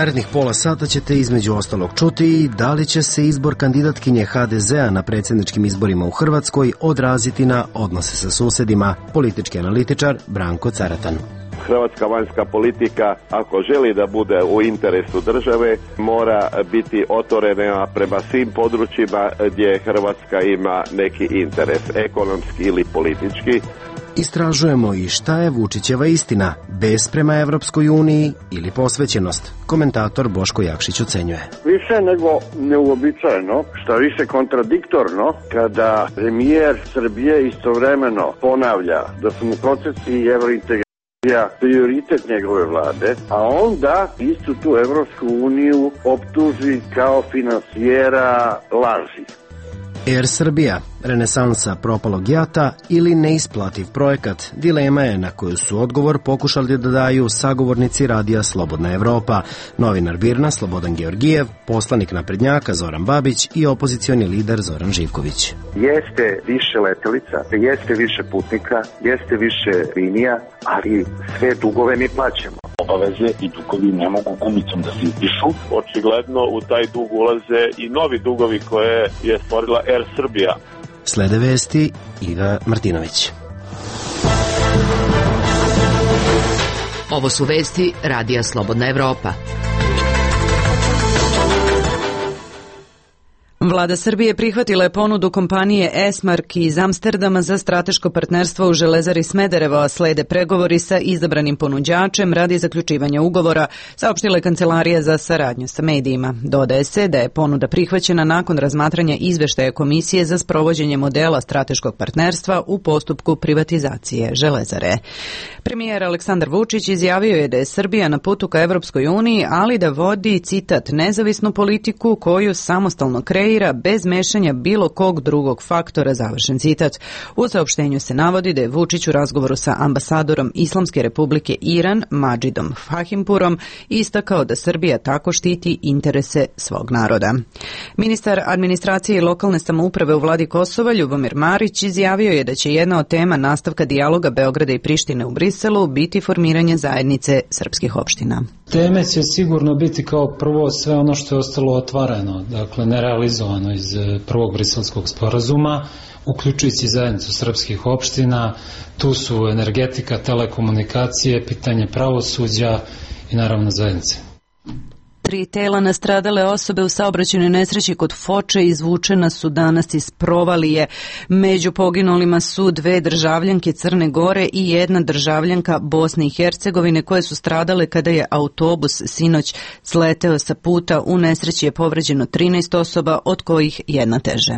narednih pola sata ćete između ostalog čuti i da li će se izbor kandidatkinje HDZ-a na predsjedničkim izborima u Hrvatskoj odraziti na odnose sa susedima, politički analitičar Branko Caratan. Hrvatska vanjska politika, ako želi da bude u interesu države, mora biti otvorena prema svim područjima gdje Hrvatska ima neki interes, ekonomski ili politički. Istražujemo i šta je Vučićeva istina, bes prema Evropskoj uniji ili posvećenost. Komentator Boško Jakšić ocenjuje. Više nego neuobičajeno, što više kontradiktorno, kada premijer Srbije istovremeno ponavlja da su mu procesi i evrointegracija prioritet njegove vlade, a onda istu tu Evropsku uniju optuži kao finansijera laži. Air Srbija, renesansa propalog JAT-a ili neisplativ projekat, dilema je na koju su odgovor pokušali da daju sagovornici radija Slobodna Evropa, novinar BIRN-a Slobodan Georgijev, poslanik naprednjaka Zoran Babić i opozicioni lider Zoran Živković. Jeste više letelica, jeste više putnika, jeste više linija, ali sve dugove mi plaćamo. Obaveze i dugovi ne mogu gumicom da se izdišu. Očigledno u taj dug ulaze i novi dugovi koje je stvorila Air Srbija. Slede vesti Iva Martinović. Ovo su vesti Radija Slobodna Evropa. Vlada Srbije prihvatila je ponudu kompanije Esmark iz Amsterdama za strateško partnerstvo u Železari Smederevo, a slede pregovori sa izabranim ponuđačem radi zaključivanja ugovora, saopštila je Kancelarija za saradnju sa medijima. Dodaje se da je ponuda prihvaćena nakon razmatranja izveštaja Komisije za sprovođenje modela strateškog partnerstva u postupku privatizacije Železare. Premijer Aleksandar Vučić izjavio je da je Srbija na putu ka Evropskoj uniji, ali da vodi, citat, nezavisnu politiku koju samostalno kreira bez mešanja bilo kog drugog faktora, završen citat. U saopštenju se navodi da je Vučić u razgovoru sa ambasadorom Islamske republike Iran, Madžidom Fahimpurom, istakao da Srbija tako štiti interese svog naroda. Ministar administracije i lokalne samouprave u vladi Kosova, Ljubomir Marić, izjavio je da će jedna od tema nastavka dijaloga Beograda i Prištine u Briselu biti formiranje zajednice srpskih opština. Teme će sigurno biti kao prvo sve ono što je ostalo otvoreno, dakle nerealizovano iz prvog briselskog sporazuma, uključujući zajednicu srpskih opština. Tu su energetika, telekomunikacije, pitanje pravosuđa i naravno zajednice. 3 tela nastradale osobe u saobraćajnoj nesreći kod Foče izvučena su danas iz provalije. Među poginulima su 2 državljanke Crne Gore i 1 državljanka Bosne i Hercegovine koje su stradale kada je autobus sinoć sleteo sa puta. U nesreći je povređeno 13 osoba, od kojih 1 teže.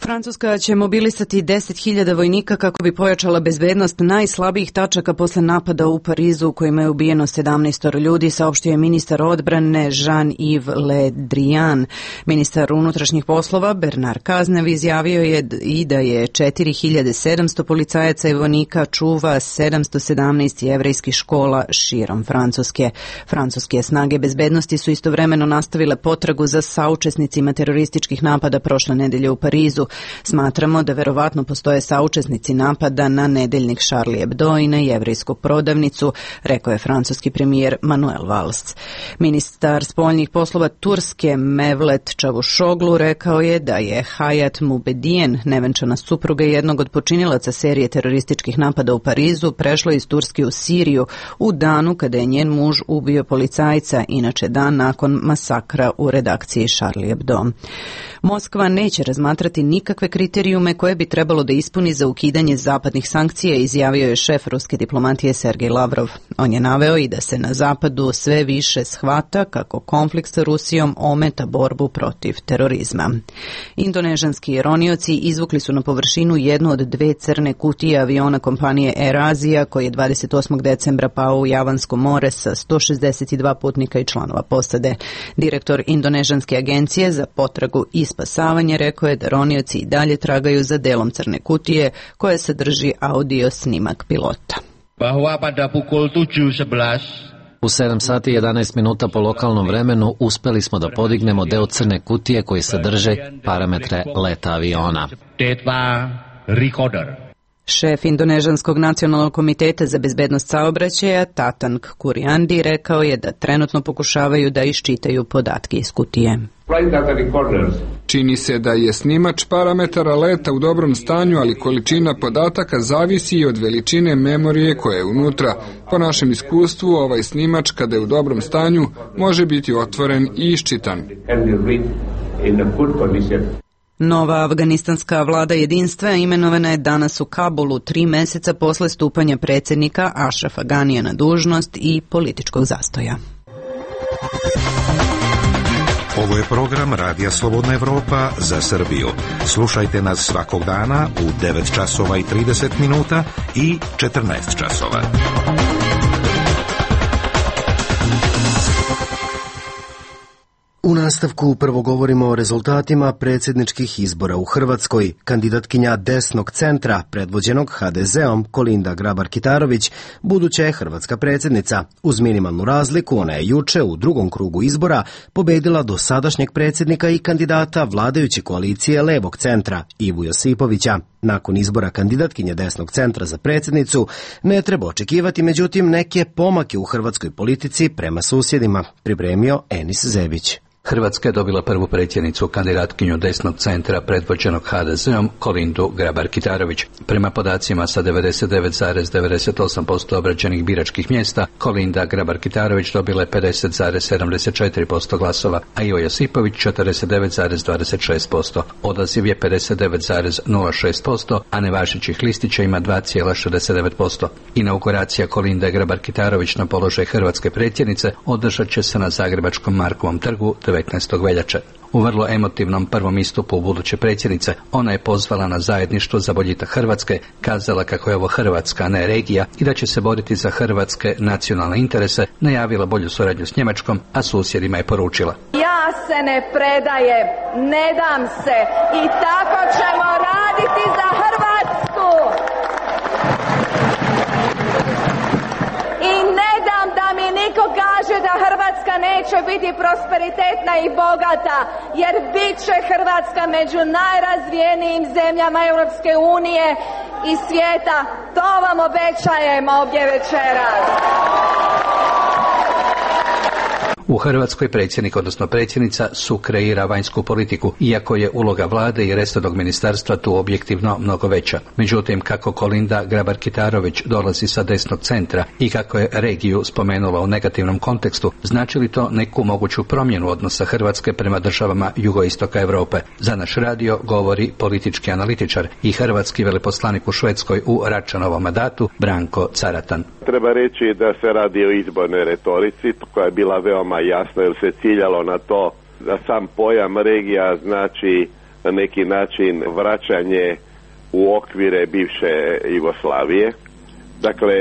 Francuska će mobilisati 10.000 vojnika kako bi pojačala bezbednost najslabijih tačaka posle napada u Parizu u kojima je ubijeno 17 ljudi, saopštio je ministar odbrane Jean-Yves Le Drian. Ministar unutrašnjih poslova Bernard Cazeneuve izjavio je i da je 4.700 policajaca i vojnika čuva 717 jevrejskih škola širom Francuske. Francuske snage bezbednosti su istovremeno nastavile potragu za saučesnicima terorističkih napada prošle nedelje u Parizu. Smatramo da verovatno postoje saučesnici napada na nedeljnik Charlie Hebdo i na jevrejsku prodavnicu, rekao je francuski premijer Manuel Valls. Ministar spoljnih poslova Turske Mevlet Čavušoglu rekao je da je Hayat Mubediyen, nevenčana supruga jednog od počinilaca serije terorističkih napada u Parizu, prešla iz Turske u Siriju u danu kada je njen muž ubio policajca, inače dan nakon masakra u redakciji Charlie Hebdo. Moskva neće razmatrati nikakve kriterijume koje bi trebalo da ispuni za ukidanje zapadnih sankcija, izjavio je šef ruske diplomatije Sergej Lavrov. On je naveo i da se na zapadu sve više shvata kako konflikt sa Rusijom ometa borbu protiv terorizma. Indonežanski ronioci izvukli su na površinu jednu od 2 crne kutije aviona kompanije Air Asia koji je 28. decembra pao u Javansko more sa 162 putnika i članova posade. Direktor Indonežanske agencije za potragu i spasavanje rekao je da ronioci i dalje tragaju za delom crne kutije koje sadrži audio snimak pilota. Bahwa pada pukul 7:11 u 7 sati 11 minuta po lokalnom vremenu uspeli smo da podignemo deo crne kutije koji sadrže parametre leta aviona. Data recorder. Šef Indonežanskog nacionalnog komiteta za bezbednost saobraćaja Tatang Kuriandi rekao je da trenutno pokušavaju da iščitaju podatke iz kutije. Čini se da je snimač parametara leta u dobrom stanju, ali količina podataka zavisi i od veličine memorije koja je unutra. Po našem iskustvu, ovaj snimač, kada je u dobrom stanju, može biti otvoren i iščitan. Nova afganistanska vlada jedinstva imenovana je danas u Kabulu 3 meseca posle stupanja predsjednika Ašrafa Ganija na dužnost i političkog zastoja. Ovo je program Radija Slobodna Evropa za Srbiju. Slušajte nas svakog dana u 9 časova i 30 minuta i 14 časova. U nastavku prvo govorimo o rezultatima predsjedničkih izbora u Hrvatskoj. Kandidatkinja desnog centra, predvođenog HDZ-om, Kolinda Grabar-Kitarović, buduća je hrvatska predsjednica. Uz minimalnu razliku, ona je juče u drugom krugu izbora pobedila dosadašnjeg predsjednika i kandidata vladajuće koalicije levog centra, Ivu Josipovića. Nakon izbora kandidatkinje desnog centra za predsjednicu ne treba očekivati, međutim, neke pomake u hrvatskoj politici prema susjedima, pripremio Enis Zebić. Hrvatska je dobila prvu predsjednicu, kandidatkinju desnog centra predvođenog HDZ-om, Kolindu Grabar-Kitarović. Prema podacima sa 99,98% obrađenih biračkih mjesta, Kolinda Grabar-Kitarović dobila je 50,74% glasova, a Ivo Josipović 49,26%. Odaziv je 59,06%, a nevažećih listića ima 2,69%. Inauguracija Kolinde Grabar-Kitarović na položaj hrvatske predsjednice održat će se na Zagrebačkom Markovom trgu 19. veljače. U vrlo emotivnom prvom istupu u buduće predsjednice ona je pozvala na zajedništvo za boljitak Hrvatske, kazala kako je ovo Hrvatska, a ne regija i da će se boriti za hrvatske nacionalne interese, najavila bolju suradnju s Njemačkom, a susjedima je poručila: ja se ne predajem, ne dam se i tako ćemo raditi za Hrvatsku. I ne dam da mi niko kaže da Hrvatska neće biti prosperitetna i bogata, jer bit će Hrvatska među najrazvijenijim zemljama Europske unije i svijeta. To vam obećajem ovdje večeras. U Hrvatskoj predsjednik, odnosno predsjednica, sukreira vanjsku politiku, iako je uloga vlade i resornog ministarstva tu objektivno mnogo veća. Međutim, kako Kolinda Grabar-Kitarović dolazi sa desnog centra i kako je regiju spomenula u negativnom kontekstu, znači li to neku moguću promjenu odnosa Hrvatske prema državama jugoistoka Europe? Za naš radio govori politički analitičar i hrvatski veleposlanik u Švedskoj u Račanovom mandatu, Branko Caratan. Treba reći da se radi o izbornoj retorici koja je bila veoma jasna, jer se ciljalo na to da sam pojam regija znači na neki način vraćanje u okvire bivše Jugoslavije. Dakle,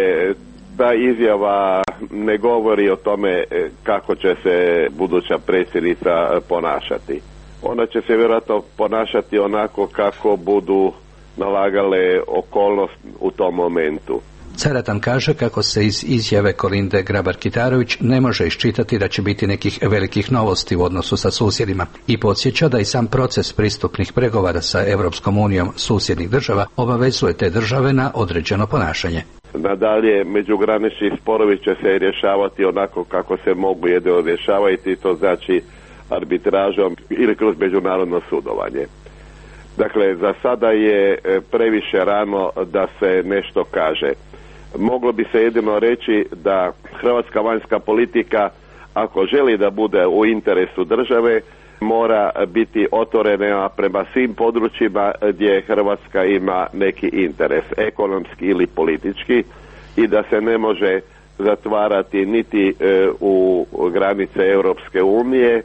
ta izjava ne govori o tome kako će se buduća predsjednica ponašati. Ona će se vjerojatno ponašati onako kako budu nalagale okolnosti u tom momentu. Caratan kaže kako se iz izjave Kolinde Grabar-Kitarović ne može iščitati da će biti nekih velikih novosti u odnosu sa susjedima i podsjeća da i sam proces pristupnih pregovora sa Europskom unijom susjednih država obavezuje te države na određeno ponašanje. Nadalje, međugranični sporovi će se rješavati onako kako se mogu jedino rješavati, to znači arbitražom ili kroz međunarodno sudovanje. Dakle, za sada je previše rano da se nešto kaže. Moglo bi se jedino reći da hrvatska vanjska politika, ako želi da bude u interesu države, mora biti otvorena prema svim područjima gdje Hrvatska ima neki interes, ekonomski ili politički, i da se ne može zatvarati niti u granice Europske unije,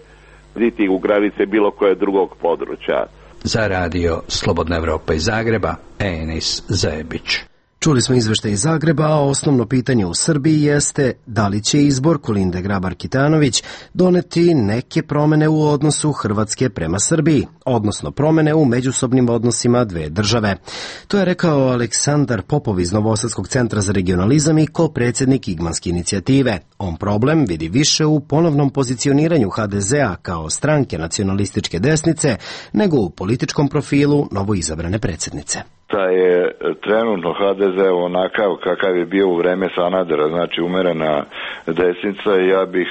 niti u granice bilo koje drugog područja. Za radio Slobodna Evropa iz Zagreba, Enis Zebić. Čuli smo izveštaj iz Zagreba, a osnovno pitanje u Srbiji jeste da li će izbor Kolinde Grabar-Kitarović doneti neke promjene u odnosu Hrvatske prema Srbiji, odnosno promjene u međusobnim odnosima dve države. To je rekao Aleksandar Popov iz Novosadskog centra za regionalizam i ko-predsjednik Igmanske inicijative. On problem vidi više u ponovnom pozicioniranju HDZ-a kao stranke nacionalističke desnice nego u političkom profilu novoizabrane predsjednice. da je trenutno HDZ onakav kakav je bio u vreme Sanadera, znači umerena desnica, ja bih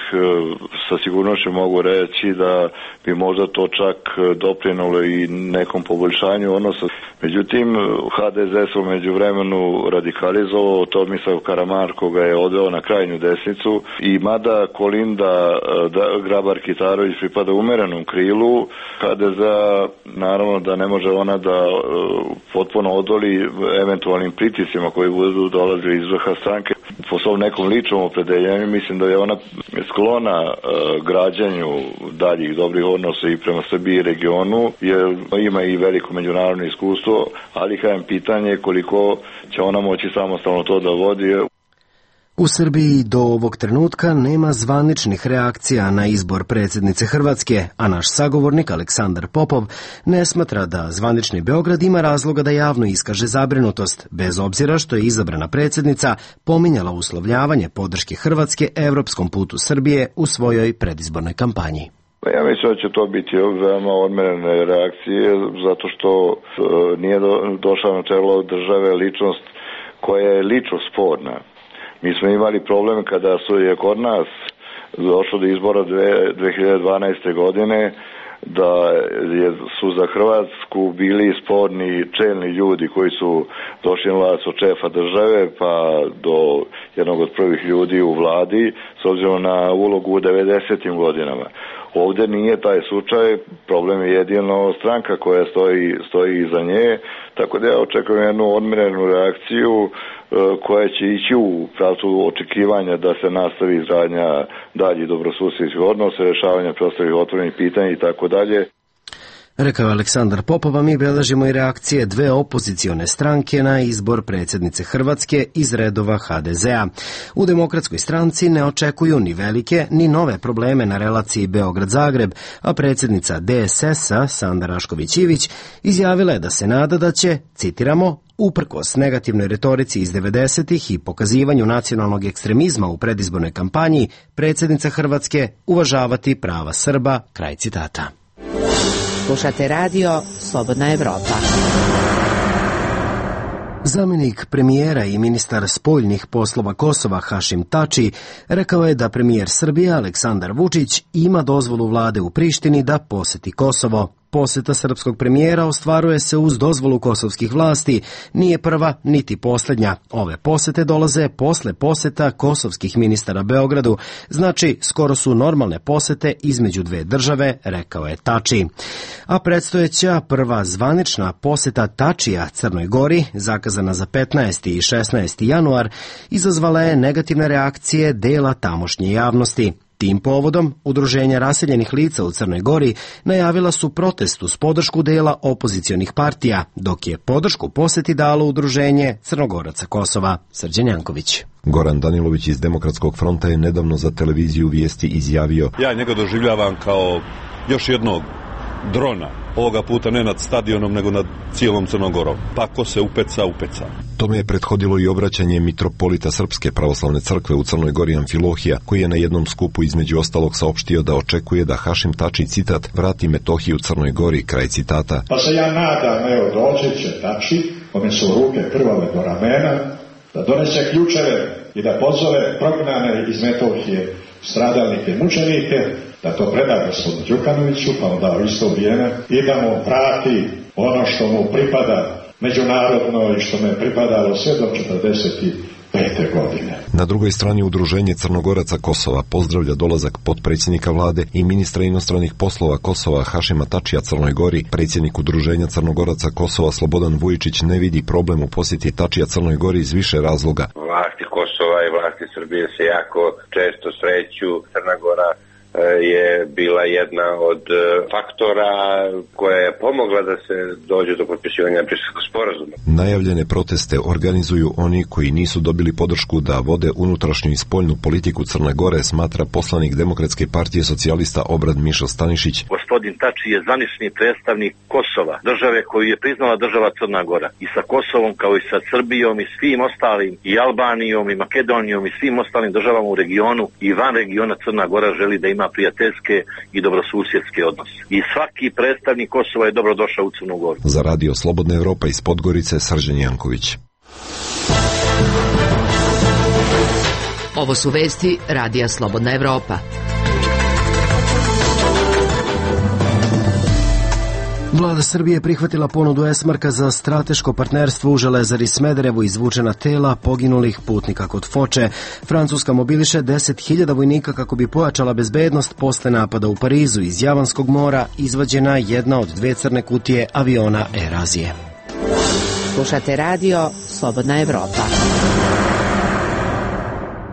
sa sigurnošću mogu reći da bi možda to čak doprinulo i nekom poboljšanju odnosa. Međutim, HDZ se u međuvremenu radikalizovao, Tomislav Karamarko ga je odveo na krajnju desnicu i mada Kolinda Grabar-Kitarović pripada umerenom krilu, HDZ naravno da ne može ona da potpuno odoli eventualnim pritiscima koji budu dolazili iz vrha stranke. Po svom nekom ličnom opredeljenju mislim da je ona sklona građanju daljih dobrih odnosa i prema Srbiji i regionu, jer ima i veliko međunarodno iskustvo, ali kažem pitanje koliko će ona moći samostalno to da vodi. U Srbiji do ovog trenutka nema zvaničnih reakcija na izbor predsjednice Hrvatske, a naš sagovornik Aleksandar Popov ne smatra da zvanični Beograd ima razloga da javno iskaže zabrinutost, bez obzira što je izabrana predsjednica pominjala uslovljavanje podrške Hrvatske evropskom putu Srbije u svojoj predizbornoj kampanji. Ja mislim da će to biti veoma odmerene reakcije, zato što nije došla na čelo države ličnost koja je lično sporna. Mi smo imali problem kada je kod nas došlo do izbora 2012. godine, da su za Hrvatsku bili sporni čelni ljudi koji su došli na vlast od šefa države pa do jednog od prvih ljudi u vladi s obzirom na ulogu u 90. godinama. Ovdje nije taj slučaj, problem je jedino stranka koja stoji iza nje, tako da ja očekujem jednu odmjerenu reakciju koja će ići u pravcu očekivanja da se nastavi izgradnja daljih dobrosusjedskih odnosa, rješavanja preostalih otvorenih pitanja i tako dalje. Rekao je Aleksandar Popov, a mi beležimo i reakcije dve opozicione stranke na izbor predsjednice Hrvatske iz redova HDZ-a. U Demokratskoj stranci ne očekuju ni velike ni nove probleme na relaciji Beograd-Zagreb, a predsjednica DSS-a Sanda Rašković-Ivić izjavila je da se nada da će, citiramo, uprkos negativnoj retorici iz 90-ih i pokazivanju nacionalnog ekstremizma u predizbornoj kampanji, predsjednica Hrvatske uvažavati prava Srba, kraj citata. Slušate radio Slobodna Evropa. Zamjenik premijera i ministar spoljnih poslova Kosova Hašim Tači rekao je da premijer Srbije Aleksandar Vučić ima dozvolu vlade u Prištini da poseti Kosovo. Poseta srpskog premijera ostvaruje se uz dozvolu kosovskih vlasti, nije prva niti posljednja. Ove posete dolaze posle poseta kosovskih ministara Beogradu, znači skoro su normalne posete između dve države, rekao je Tači. A predstojeća prva zvanična poseta Tačija Crnoj Gori, zakazana za 15. i 16. januar, izazvala je negativne reakcije dela tamošnje javnosti. Tim povodom, udruženja raseljenih lica u Crnoj Gori najavila su protest uz podršku dela opozicionih partija, dok je podršku poseti dalo udruženje Crnogoraca Kosova. Srđan Janković. Goran Danilović iz Demokratskog fronta je nedavno za televiziju Vijesti izjavio: ja njega doživljavam kao još jednog drona, ovoga puta ne nad stadionom nego nad cijelom Crnogorom. Pa ko se upeca, upeca. Tome je prethodilo i obraćanje mitropolita Srpske pravoslavne crkve u Crnoj Gori Amfilohija, koji je na jednom skupu između ostalog saopštio da očekuje da Hašim Tači, citat, vrati Metohiju Crnoj Gori, kraj citata. Pa se ja nadam, evo dođe će Tači, kome su ruke krvave do ramena, da donese ključeve i da pozove prognane iz Metohije stradalnike, mučenike, da to preda gospodinu Đukanoviću, pa onda u isto vrijeme i da mu vrati ono što mu pripada međunarodno i što mu je pripadalo sve do 1945. godine. Na drugoj strani udruženje Crnogoraca Kosova pozdravlja dolazak potpredsjednika vlade i ministra inostranih poslova Kosova Hašima Tačija Crnoj Gori. Predsjednik udruženja Crnogoraca Kosova Slobodan Vujičić ne vidi problem u posjeti Tačija Crnoj Gori iz više razloga. Vlasti Kosova i vlasti Srbije se jako često sreću. Crna Gora je bila jedna od faktora koja je pomogla da se dođe do potpisivanja Briselskog sporazuma. Najavljene proteste organizuju oni koji nisu dobili podršku da vode unutrašnju i spoljnu politiku Crne Gore, smatra poslanik Demokratske partije socijalista Obrad Mišo Stanišić. Gospodin Tači je zvanični predstavnik Kosova, države koju je priznala država Crna Gora. I sa Kosovom kao i sa Srbijom i svim ostalim, i Albanijom i Makedonijom i svim ostalim državama u regionu i van regiona Crna Gora želi da ima na prijateljske i dobrosusjedske odnose. I svaki predstavnik Kosova je dobrodošao u Crnu Goru. Za Radio Slobodna Evropa iz Podgorice, Srđan Janković. Ovo su vesti Radija Slobodna Evropa. Vlada Srbije prihvatila ponudu Esmarka za strateško partnerstvo u Železari Smederevo, izvučena tela poginulih putnika kod Foče. Francuska mobiliše 10.000 vojnika kako bi pojačala bezbednost posle napada u Parizu. Iz Javanskog mora izvađena jedna od 2 crne kutije aviona Air Azije. Slušate radio Slobodna Evropa.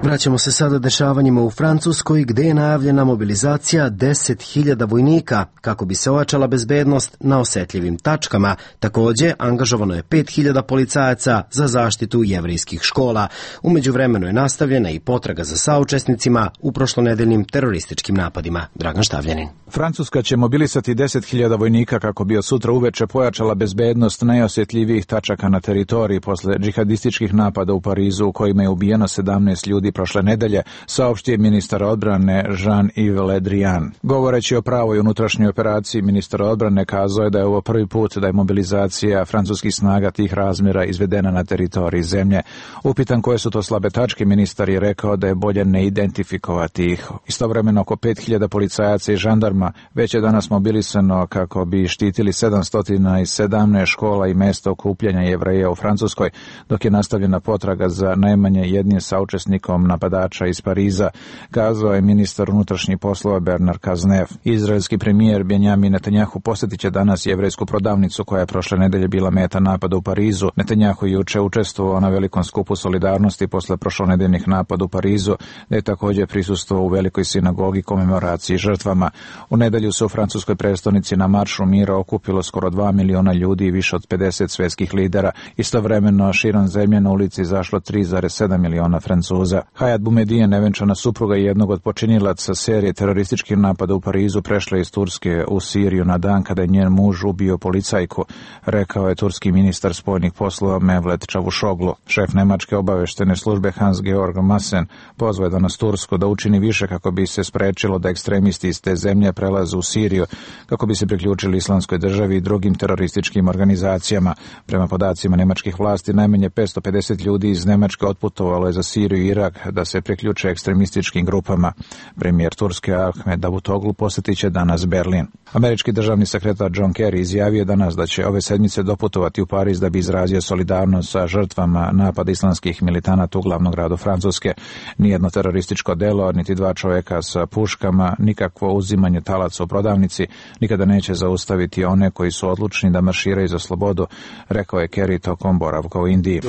Vraćamo se sada dešavanjima u Francuskoj, gde je najavljena mobilizacija 10.000 vojnika kako bi se ojačala bezbednost na osetljivim tačkama. Takođe, angažovano je 5.000 policajaca za zaštitu jevrejskih škola. U međuvremenu je nastavljena i potraga za saučesnicima u prošlonedeljnim terorističkim napadima. Dragan Štavljanin. Francuska će mobilisati 10.000 vojnika kako bi od sutra uveče pojačala bezbednost najosjetljivijih tačaka na teritoriji posle džihadističkih napada u Parizu u kojima je ubijeno 17 ljudi prošle nedelje, saopštio je ministar odbrane Jean-Yves Le Drian. Govoreći o pravoj unutrašnjoj operaciji, ministar odbrane kazao je da je ovo prvi put da je mobilizacija francuskih snaga tih razmjera izvedena na teritoriji zemlje. Upitan koje su to slabe tačke, ministar je rekao da je bolje ne identifikovati ih. Istovremeno oko 5.000 policajaca i žandarma već je danas mobilisano kako bi štitili 717 škola i mesta okupljanja Jevreja u Francuskoj, dok je nastavljena potraga za najmanje jednim saučesnikom napadača iz Pariza, kazao je ministar unutrašnjih poslova Bernard Cazeneuve. Izraelski premijer Benjamin Netanjahu posjetit će danas jevrejsku prodavnicu koja je prošle nedelje bila meta napada u Parizu. Netanjahu je juče učestvovao na velikom skupu solidarnosti posle prošlonedeljnih napada u Parizu, da je također prisustvovao u velikoj sinagogi komemoraciji žrtvama. U nedelju se u francuskoj prestonici na maršu mira okupilo skoro 2 miliona ljudi i više od 50 svjetskih lidera. Istovremeno širom zemlje na ulici izašlo 3,7 miliona Francuza. Hayat Boumediene, nevenčana supruga i jednog od počinilaca serije terorističkih napada u Parizu, prešla iz Turske u Siriju na dan kada je njen muž ubio policajku, rekao je turski ministar spoljnih poslova Mevlet Čavušoglu. Šef nemačke obaveštene službe Hans-Georg Maassen pozvao je danas Tursku da učini više kako bi se sprečilo da ekstremisti iz te zemlje prelaze u Siriju, kako bi se priključili Islamskoj državi i drugim terorističkim organizacijama. Prema podacima nemačkih vlasti, najmanje 550 ljudi iz Nemačke otputovalo je za Siriju i Irak da se priključe ekstremističkim grupama. Premijer Turske Ahmed Davutoglu posjetit će danas Berlin. Američki državni sekretar John Kerry izjavio danas da će ove sedmice doputovati u Pariz da bi izrazio solidarnost sa žrtvama napada islamskih militanata u glavnom gradu Francuske. Nijedno terorističko delo, niti 2 čovjeka sa puškama, nikakvo uzimanje talaca u prodavnici nikada neće zaustaviti one koji su odlučni da marširaju za slobodu, rekao je Kerry tokom boravka u Indiji.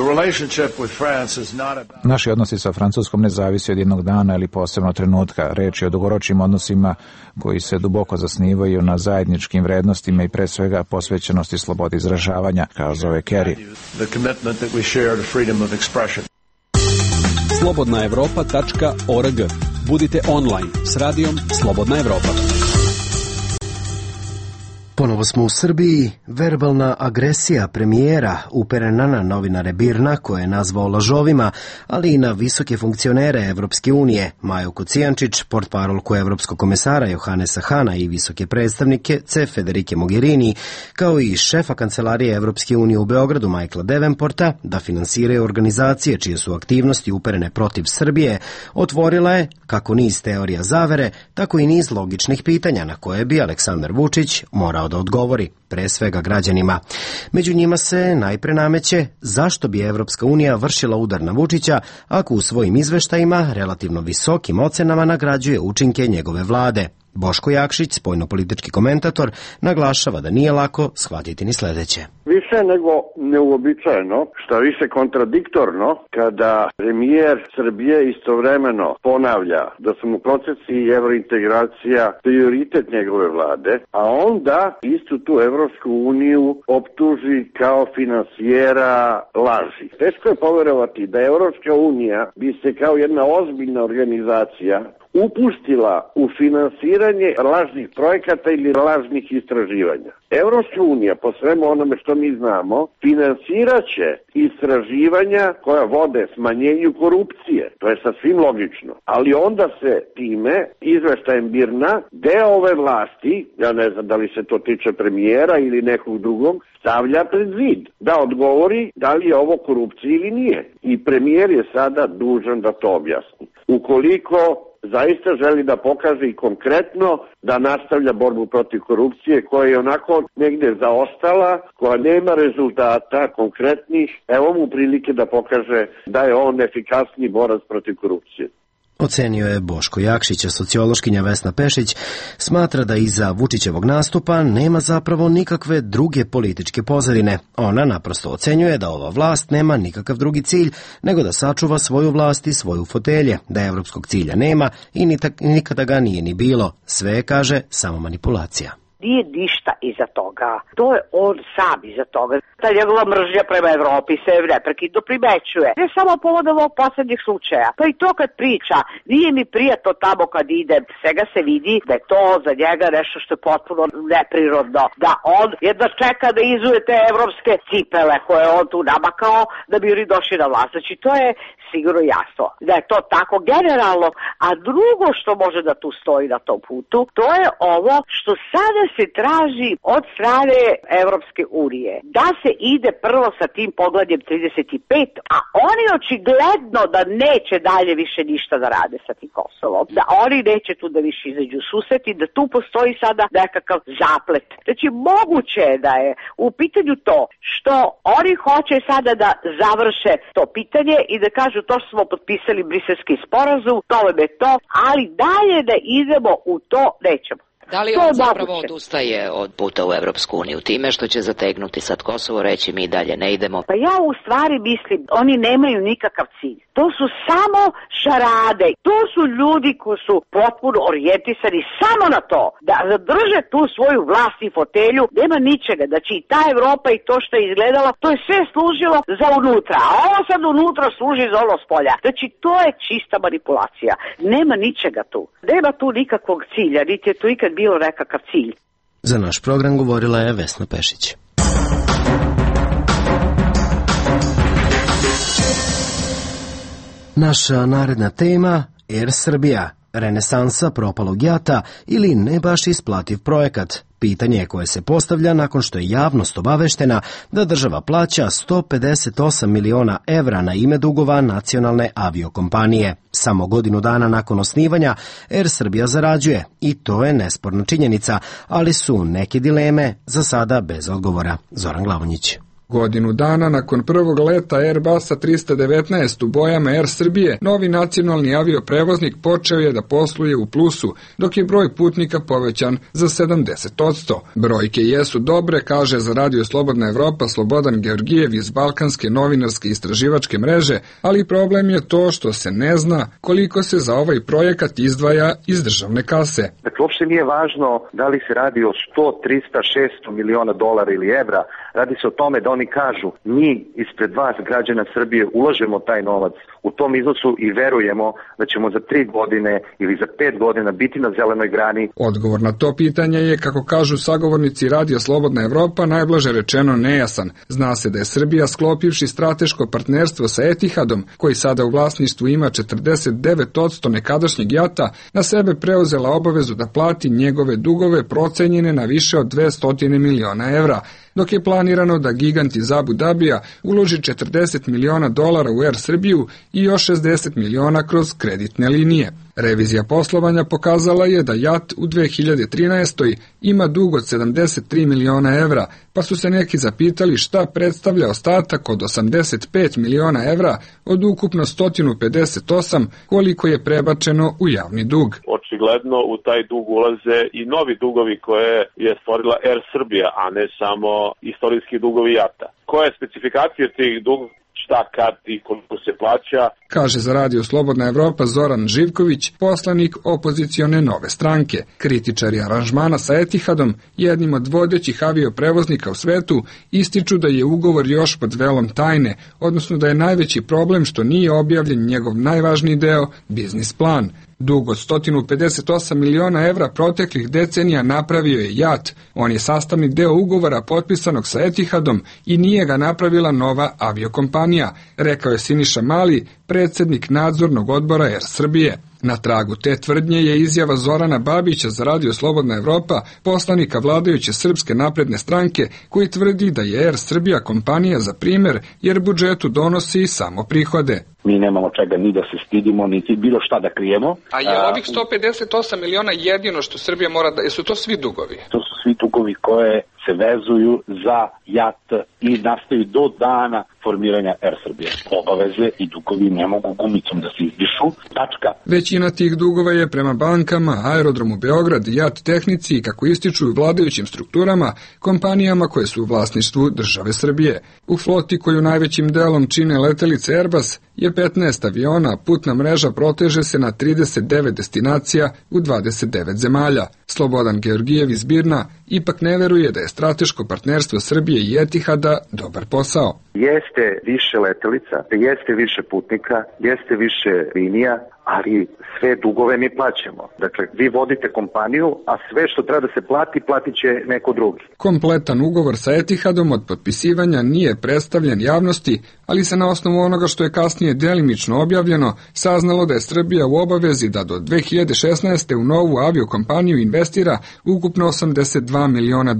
Naši odnosi sa Francuskom ne zavisi od jednog dana ili posebno trenutka. Reč je o dugoročnim odnosima koji se duboko zasnivaju na zajedničkim vrednostima i pre svega posvećenosti slobodi izražavanja, kazao je Kerry. slobodnaevropa.org. Budite online s radijom Slobodna Evropa. Ponovo smo u Srbiji. Verbalna agresija premijera uperena na novinare BIRN-a, koje je nazvao lažovima, ali i na visoke funkcionere Evropske unije, Maju Kocijančić, portparolku Evropskog komesara Johannesa Hana i visoke predstavnike Federike Mogherini, kao i šefa kancelarije Evropske unije u Beogradu Michaela Davenporta, da finansiraju organizacije čije su aktivnosti uperene protiv Srbije, otvorila je kako niz teorija zavere, tako i niz logičnih pitanja na koje bi Aleksandar Vučić morao da odgovori, pre svega građanima. Među njima se najpre nameće zašto bi Evropska unija vršila udar na Vučića ako u svojim izveštajima relativno visokim ocenama nagrađuje učinke njegove vlade. Boško Jakšić, spoljnopolitički komentator, naglašava da nije lako shvatiti ni sledeće. Više nego neuobičajeno, šta više kontradiktorno, kada premijer Srbije istovremeno ponavlja da su mu procesi i evrointegracija prioritet njegove vlade, a onda istu tu Evropsku uniju optuži kao finansijera laži. Teško je poverovati da Evropska unija bi se kao jedna ozbiljna organizacija upustila u finansiranje lažnih projekata ili lažnih istraživanja. Evropska unija, po svemu onome što mi znamo, finansiraće istraživanja koja vode smanjenju korupcije. To je sasvim logično. Ali onda se time, izveštajem BIRN-a, deo ove vlasti, ja ne znam da li se to tiče premijera ili nekog drugog, stavlja pred zid da odgovori da li je ovo korupcija ili nije. I premijer je sada dužan da to objasni. Ukoliko zaista želi da pokaže i konkretno da nastavlja borbu protiv korupcije koja je onako negde zaostala, koja nema rezultata konkretnih, evo mu prilike da pokaže da je on efikasni borac protiv korupcije. Ocenio je Boško Jakšić, a sociološkinja Vesna Pešić smatra da iza Vučićevog nastupa nema zapravo nikakve druge političke pozadine. Ona naprosto ocenjuje da ova vlast nema nikakav drugi cilj nego da sačuva svoju vlast i svoju fotelje, da evropskog cilja nema i nikada ga nije ni bilo. Sve je, kaže, samo manipulacija. Nije ništa iza toga. To je on sam iza toga. Ta njegova mržnja prema Evropi se neprekidno primećuje. Ne samo povodom ovog poslednjih slučaja. Pa i to kad priča, nije mi prijatno tamo kad ide, svega se vidi da je to za njega nešto što je potpuno neprirodno. Da on jedva čeka da izuje te evropske cipele koje on tu namakao da bi oni došli na vlast. Znači to je sigurno jasno. Da je to tako generalno. A drugo što može da tu stoji na tom putu, to je ovo što sada se traži od strane Evropske unije. Da se ide prvo sa tim poglavljem 35, a oni očigledno da neće dalje više ništa da rade sa tim Kosovom. Da oni neće tu da više izađu susreti, da tu postoji sada nekakav zaplet. Znači moguće je da je u pitanju to što oni hoće sada da završe to pitanje i da kažu to smo potpisali Briselski sporazum, to je to, ali dalje da idemo u to nećemo. Da li on zapravo odustaje od puta u Evropsku uniju time što će zategnuti sad Kosovo, reći mi dalje ne idemo? Pa ja u stvari mislim, oni nemaju nikakav cilj. To su samo šarade. To su ljudi koji su potpuno orijentisani samo na to da zadrže tu svoju vlast i fotelju. Nema ničega. Znači i ta Evropa i to što je izgledala, to je sve služilo za unutra. A ovo sad unutra služi za ono spolja. Znači to je čista manipulacija. Nema ničega tu. Nema tu nikakvog cilja, niti je tu ikad bilo nekakav cilj. Za naš program govorila je Vesna Pešić. Naša naredna tema Air Srbija, renesansa propalog JAT-a ili ne baš isplativ projekat. Pitanje koje se postavlja nakon što je javnost obaveštena da država plaća 158 miliona evra na ime dugova nacionalne aviokompanije. Samo godinu dana nakon osnivanja Air Srbija zarađuje i to je nesporna činjenica, ali su neke dileme za sada bez odgovora. Zoran Glavonjić. Godinu dana nakon prvog leta Airbusa 319 u bojama Air Srbije, novi nacionalni avioprevoznik počeo je da posluje u plusu, dok je broj putnika povećan za 70%. Brojke jesu dobre, kaže za Radio Slobodna Evropa Slobodan Georgijev iz Balkanske novinarske istraživačke mreže, ali problem je to što se ne zna koliko se za ovaj projekat izdvaja iz državne kase. Dakle, uopšte nije važno da li se radi o 100, 300, 600 miliona dolara ili evra. Radi se o tome da oni kažu, mi ispred vas, građana Srbije, ulažemo taj novac u tom iznosu i verujemo da ćemo za 3 godine ili za 5 godina biti na zelenoj grani. Odgovor na to pitanje je, kako kažu sagovornici Radija Slobodna Evropa, najblaže rečeno nejasan. Zna se da je Srbija, sklopivši strateško partnerstvo sa Etihadom, koji sada u vlasništvu ima 49% nekadašnjeg JAT-a, na sebe preuzela obavezu da plati njegove dugove procenjene na više od 200 miliona evra, dok je planirano da gigant iz Abu Dabija uloži 40 miliona dolara u Air Srbiju i još 60 miliona kroz kreditne linije. Revizija poslovanja pokazala je da JAT u 2013. ima dug od 73 miliona evra, pa su se neki zapitali šta predstavlja ostatak od 85 miliona evra od ukupno 158 koliko je prebačeno u javni dug. Očigledno u taj dug ulaze i novi dugovi koje je stvorila Air Srbija, a ne samo istorijski dugovi JAT-a. Koja je specifikacija tih dugova? Šta, kad i koliko se plaća? Kaže za Radio Slobodna Evropa Zoran Živković, poslanik opozicione Nove stranke. Kritičari aranžmana sa Etihadom, jednim od vodećih avioprevoznika u svetu, ističu da je ugovor još pod velom tajne, odnosno da je najveći problem što nije objavljen njegov najvažniji deo, biznis plan. Dug od 158 miliona evra proteklih decenija napravio je JAT. On je sastavni deo ugovora potpisanog sa Etihadom i nije ga napravila nova aviokompanija, rekao je Siniša Mali, predsjednik nadzornog odbora Air Srbije. Na tragu te tvrdnje je izjava Zorana Babića za Radio Slobodna Evropa, poslanika vladajuće Srpske napredne stranke, koji tvrdi da je Air Srbija kompanija za primer jer budžetu donosi samo prihode. Mi nemamo čega ni da se stidimo, niti bilo šta da krijemo. A je ovih 158 miliona jedino što Srbija mora da... Jesu to svi dugovi? To su svi dugovi koje se vezuju za JAT i nastaju do dana formiranja Air Srbije. Obaveze i dugovi ne mogu gumicom da se izdišu. Tačka. Većina tih dugova je prema bankama, Aerodromu Beograd, JAT Tehnici i, kako ističu u vladajućim strukturama, kompanijama koje su u vlasništvu države Srbije. U floti koju najvećim delom čine letelice Airbus je 15 aviona, putna mreža proteže se na 39 destinacija u 29 zemalja. Slobodan Georgijev iz Birna ipak ne veruje da je strateško partnerstvo Srbije i Etihada dobar posao. Jeste više letelica, jeste više putnika, jeste više linija, ali sve dugove mi plaćamo. Dakle, vi vodite kompaniju, a sve što treba da se plati, platit će neko drugi. Kompletan ugovor sa Etihadom od potpisivanja nije predstavljen javnosti, ali se na osnovu onoga što je kasnije delimično objavljeno saznalo da je Srbija u obavezi da do 2016. u novu aviokompaniju investira ukupno $82 miliona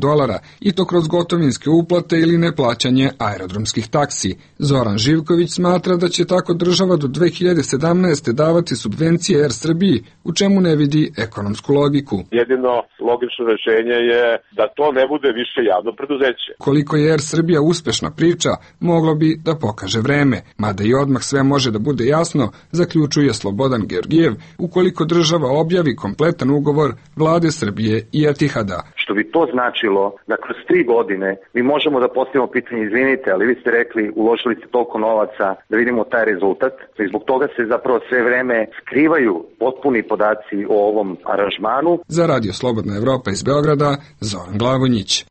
i to kroz gotovinske uplate ili neplaćanje aerodromskih taksi. Zoran Živković smatra da će tako država do 2017. davati subvencije Air Srbiji, u čemu ne vidi ekonomsku logiku. Jedino logično rešenje je da to ne bude više javno preduzeće. Koliko je Air Srbija uspešna priča, moglo bi da pokaže vreme, mada i odmah sve može da bude jasno, zaključuje Slobodan Georgijev, ukoliko država objavi kompletan ugovor vlade Srbije i Etihada. Što bi to značilo da kroz 3 godine mi možemo da postavimo pitanje, izvinite, ali vi ste rekli uložili ste toliko novaca da vidimo taj rezultat i zbog toga se zapravo sve vreme skrivaju potpuni podaci o ovom aranžmanu. Za Radio Slobodna Evropa iz Beograda, Zoran Glavonjić.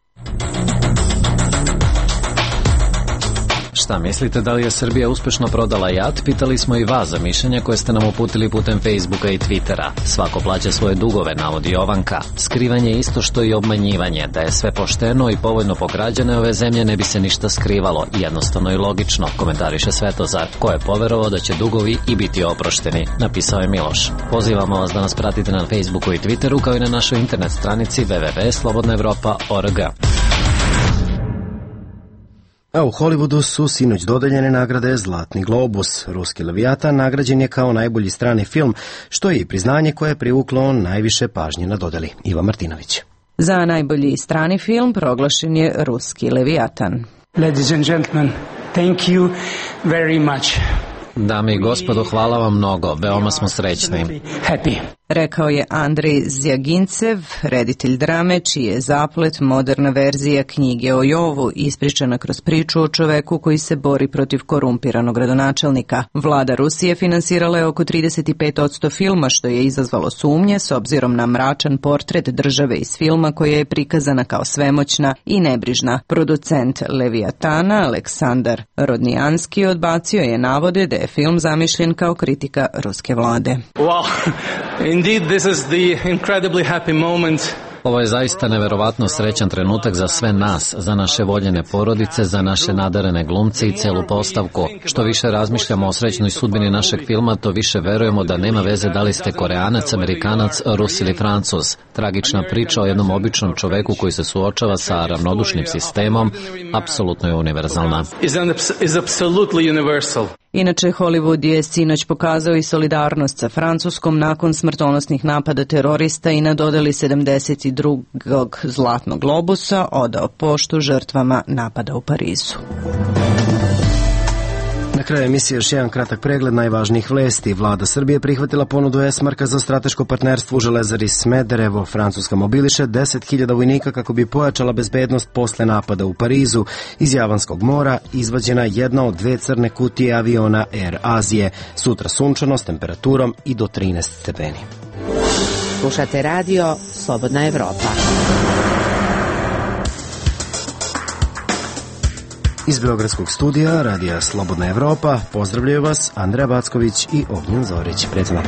Šta mislite, da li je Srbija uspešno prodala JAT? Pitali smo i vas za mišljenje koje ste nam uputili putem Facebooka i Twittera. Svako plaća svoje dugove, navodi Jovanka. Skrivanje je isto što i obmanjivanje. Da je sve pošteno i povoljno po građane ove zemlje ne bi se ništa skrivalo. Jednostavno i logično, komentariše Svetozar. Ko je poverovao da će dugovi i biti oprošteni, napisao je Miloš. Pozivamo vas da nas pratite na Facebooku i Twitteru, kao i na našoj internet stranici www.slobodnaevropa.org. A u Hollywoodu su sinoć dodeljene nagrade Zlatni globus. Ruski Leviatan nagrađen je kao najbolji strani film, što je i priznanje koje je privuklo najviše pažnje na dodeli. Iva Martinović. Za najbolji strani film proglašen je Ruski Leviatan. Ladies and gentlemen, thank you very much. Dame i gospodo, hvala vam mnogo, veoma smo srećni. Happy. Rekao je Andrej Zjagincev, reditelj drame, čiji je Zaplet moderna verzija knjige o Jovu, ispričana kroz priču o čoveku koji se bori protiv korumpiranog gradonačelnika. Vlada Rusije finansirala je oko 35% filma, što je izazvalo sumnje s obzirom na mračan portret države iz filma koja je prikazana kao svemoćna i nebrižna. Producent Leviatana, Aleksandar Rodnijanski, odbacio je navode da je film zamišljen kao kritika ruske vlade. Wow. Indeed, this is the incredibly happy moment. Ovo je zaista neverovatno srećan trenutak za sve nas, za naše voljene porodice, za naše nadarene glumce i celu postavku. Što više razmišljamo o srećnoj sudbini našeg filma, to više verujemo da nema veze da li ste Koreanac, Amerikanac, Rus ili Francuz. Tragična priča o jednom običnom čoveku koji se suočava sa ravnodušnim sistemom apsolutno je univerzalna. Is absolutely universal. Inače, Hollywood je sinoć pokazao i solidarnost sa Francuskom nakon smrtonosnih napada terorista i na dodeli 72. Zlatnog globusa odao poštu žrtvama napada u Parizu. Na kraju emisije još jedan kratak pregled najvažnijih vesti. Vlada Srbije prihvatila ponudu Esmarka za strateško partnerstvo u Železari Smederevo. Francuska mobiliše 10.000 vojnika kako bi pojačala bezbednost posle napada u Parizu. Iz Javanskog mora izvađena jedna od 2 crne kutije aviona Air Azije. Sutra sunčano s temperaturom i do 13 stepeni. Slušate radio Slobodna Evropa. Iz Beogradskog studija Radija Slobodna Evropa pozdravljaju vas Andreja Backović i Ognjen Zorić. Prijatno.